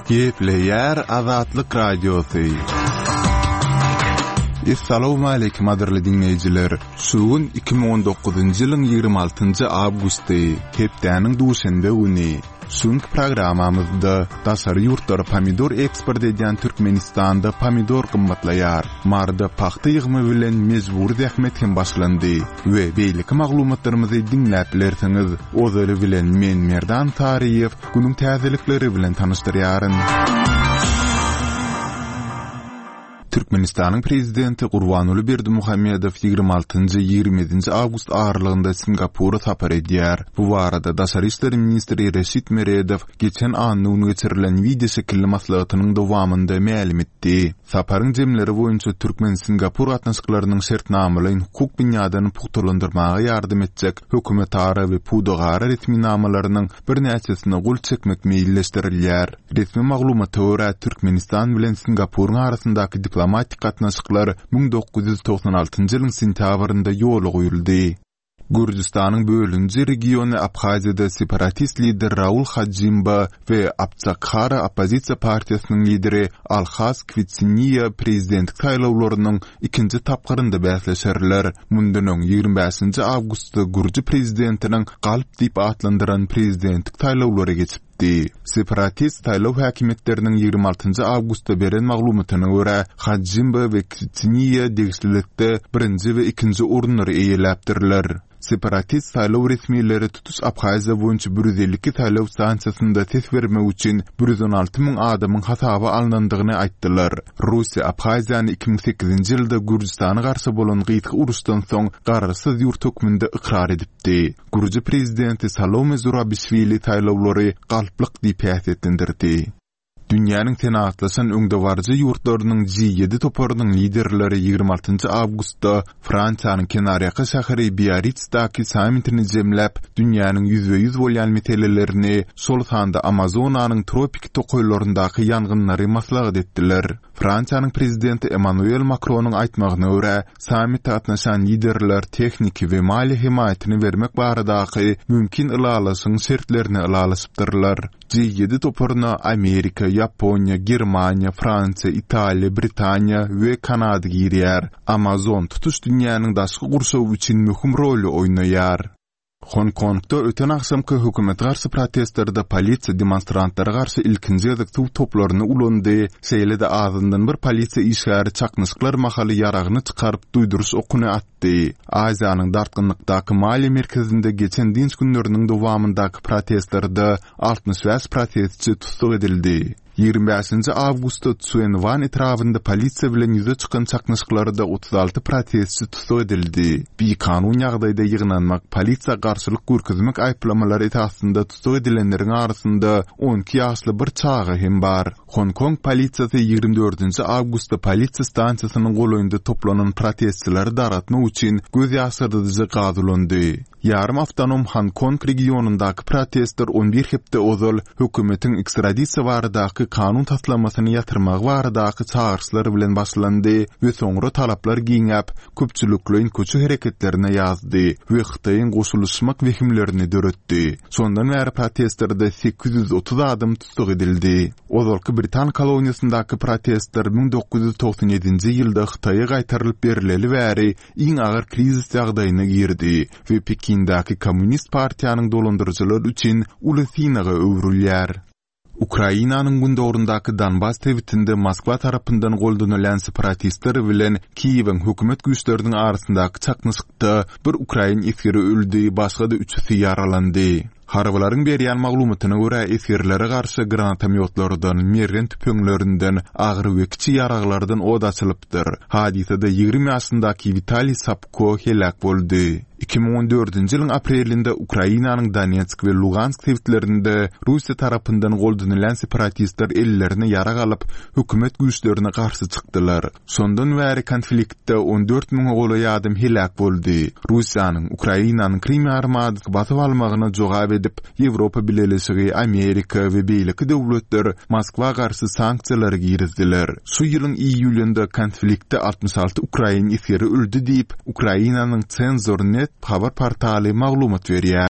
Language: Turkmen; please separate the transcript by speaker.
Speaker 1: Gepleýär Azatlyk Radiosy. Essalawmaleýkim gadyrly diňleýjiler! Şu gün 2019-njy ýylyň 26-njy awgusty, hepdäniň duşenbe güni. Şu günki programmamyzda daşary ýurtlara pomidor eksport edýän Türkmenistanda pomidor gymmatlaýar, Maryda pagta ýygymy bilen mejbury zähmet hem başlandy we beýleki maglumatlarymyzy diňläp bilersiňiz. Ozaly bilen men Merdan Saryýew günüň täzelikleri bilen tanyşdyrýaryn. Türkmenistanyň Prezidenti Gurbanguly Berdimuhamedow 26-njy, 27-nji awgust aralygynda Singapura sapar edýär. Bu barada daşary işler ministri Reşit Meredow geçen anna güni geçirilen wideoşekilli maslahatynyň dowamynda mälim etdi. Saparyň jemleri boýunça türkmen-singapur gatnaşyklarynyň şertnamalaýyn-hukuk binýadyny pugtalandyrmaga ýardam etjek hökümetara we pudagara resminamalarynyň birnäçesine gol çekmek meýilleşdirilýär. Resmi maglumata görä, Türkmenistan bilen Singapuryň arasyndaky diplomatik gatnaşyklar 1996-njy ýylyň sentýabrynda ýola goýuldy. Gürjüstanyň bölüniji regiony Abhaziýada separatist lider Raul Hajimba we Abçakhara oppozisiýa partiýasynyň lideri Alhaz Kwitsiniýa prezidentlik saýlawlarynyň ikinji tapgyrynda bäsleşerler. Mundan öň, 25-nji awgustda gürji prezidentiniň galp diýip atlandyran prezidentlik saýlawlary geçipdi. Separatist saýlaw häkimiýetleriniň 26-njy awgustda beren maglumatyna görä, Hajimba we Kwitsiniýa degişlilikde birinji we ikinji orunlary eýeläpdirler. Separatist saýlaw resmileri tutuş Abhaziýa boýunça 152 saýlaw stansiýasynda ses bermek üçin 116 müň adamyň hasaba alnandygyny aýtdylar. Russiýa Abhaziýany 2008-nji ýylda Gürjüstana garşy bolan gysga uruşdan soň garaşsyz ýurt hökmünde ykrar edipdi. Gürji prezidenti Salome Zurabişwili saýlawlary galplyk diýip häsiýetlendirdi. Dünýäniň senagatlaşan öňdebaryjy ýurtlarynyň G-ýedi toparynyň liderleri 26 awgustda Fransiýanyň kenarýaka şäheri Biarritsdäki sammitini jemläp, dünýäniň ýüzbe-ýüz bolýan meselelerini, şol sanda Amazonanyň tropiki tokaýlaryndaky ýangynlary maslahat etdiler. Fransiýanyň prezidenti Emmanuel Makronyň aýtmagyna görä, sammite gatnaşan liderler tehniki we maliýe hemaýatyny bermek baradaky mümkin ylalaşygyň şertlerini ylalaşypdyrlar. G-ýedi toparyna Amerika, Ýaponiýa, Germaniýa, Fransiýa, Italiýa, Britaniýa we Kanada girýär. Amazon tutuş dünýäniň daşky gurşawy üçin möhüm roly oýnaýar. Honkongda öten agşamky hökümete garşy protestlerde polisiýa demonstrantlara garşy ilkinji gezek suw toplaryny ulandy, şeýle-de azyndan bir polisiýa işgäri çaknyşyklar mahaly ýaragyny çykaryp duýduryş okuny atdy. Aziýanyň dartgynlykdaky maliýe merkezinde geçen dynç günleriniň dowamyndaky protestlerde 65 protestçi tussag edildi. 25-nji awgustda Tsuen Wan etrabynda polisiýa bilen ýüze çykan çaknyşyklarda 36 protestçi tussag edildi. Bikanun ýagdaýda ýygnanmak, polisiýa garşylyk görkezmek aýyplamalary esasynda tussag edilenleriň arasynda 12 ýaşly bir çaga hem bar. Honkong polisiýasy 24-nji awgustda polisiýa stansiýasynyň golaýynda toplanan protestçileri dargatmak üçin göz ýaşardyjy gaz ulandy. Ýarym awtonom Honkong regionyndaky protestler on bir hepde ozal hökümetiň ekstradisiýa baradaky kanun taslamasyny ýatyrmagy baradaky çagyryşlar bilen başlandy we soňra talaplar giňäp, köpçülikleýin köçe hereketlerine ýazdy we Hytaýyň goşulyşmak wehimlerini döretdi. Şondan bäri protestlerde 830 adam tussag edildi. Ozalky britan koloniýasyndaky protestler 1997-nji ýylda Hytaýa gaýtarylyp berileli bäri iň agyr krizis ýagdaýyna girdi we Pekindäki Kommunist partiýanyň dolandyryjylary üçin uly synaga öwrülýär. Ukrainanyň gündogaryndaky Donbas sebitinde Moskwa tarapyndan goldanylýan separatistler bilen Kiýewiň hökümet güýçleriniň arasyndaky çaknyşykda bir ukrain esgeri öldi, başga-da üçüsi ýaralandy. Harbylaryň berýän maglumatyna görä, esgerlere garşy granatomýotlardan, mergen tüpeňlerinden, agyr we kiçi ýaraglardan ot açylypdyr. Hadysada 20 ýaşyndaky Witaliý Sapko heläk boldy. 2014-nji ýylyň aprelinde Ukrainanyň Donetsk we Lugansk sebitlerinde Russiýa tarapyndan goldanylýan separatistler ellerine ýarag alyp, hökümet güýçlerine garşy çykdylar. Şondan bäri konfliktde 14 müňe golaý adam heläk boldy. Russiýanyň Ukrainanyň Krym ýarymadasyny basyp almagyna jogap edip, Ýewropa Bileleşigi, Amerika we beýleki döwletler Moskwa garşy sanksiýalary girizdiler. Şu ýylyň iýulynda konfliktde 66 ukrain esgeri öldi diýip, Ukrainanyň Cenzor. Net habar portaly maglumat berýär.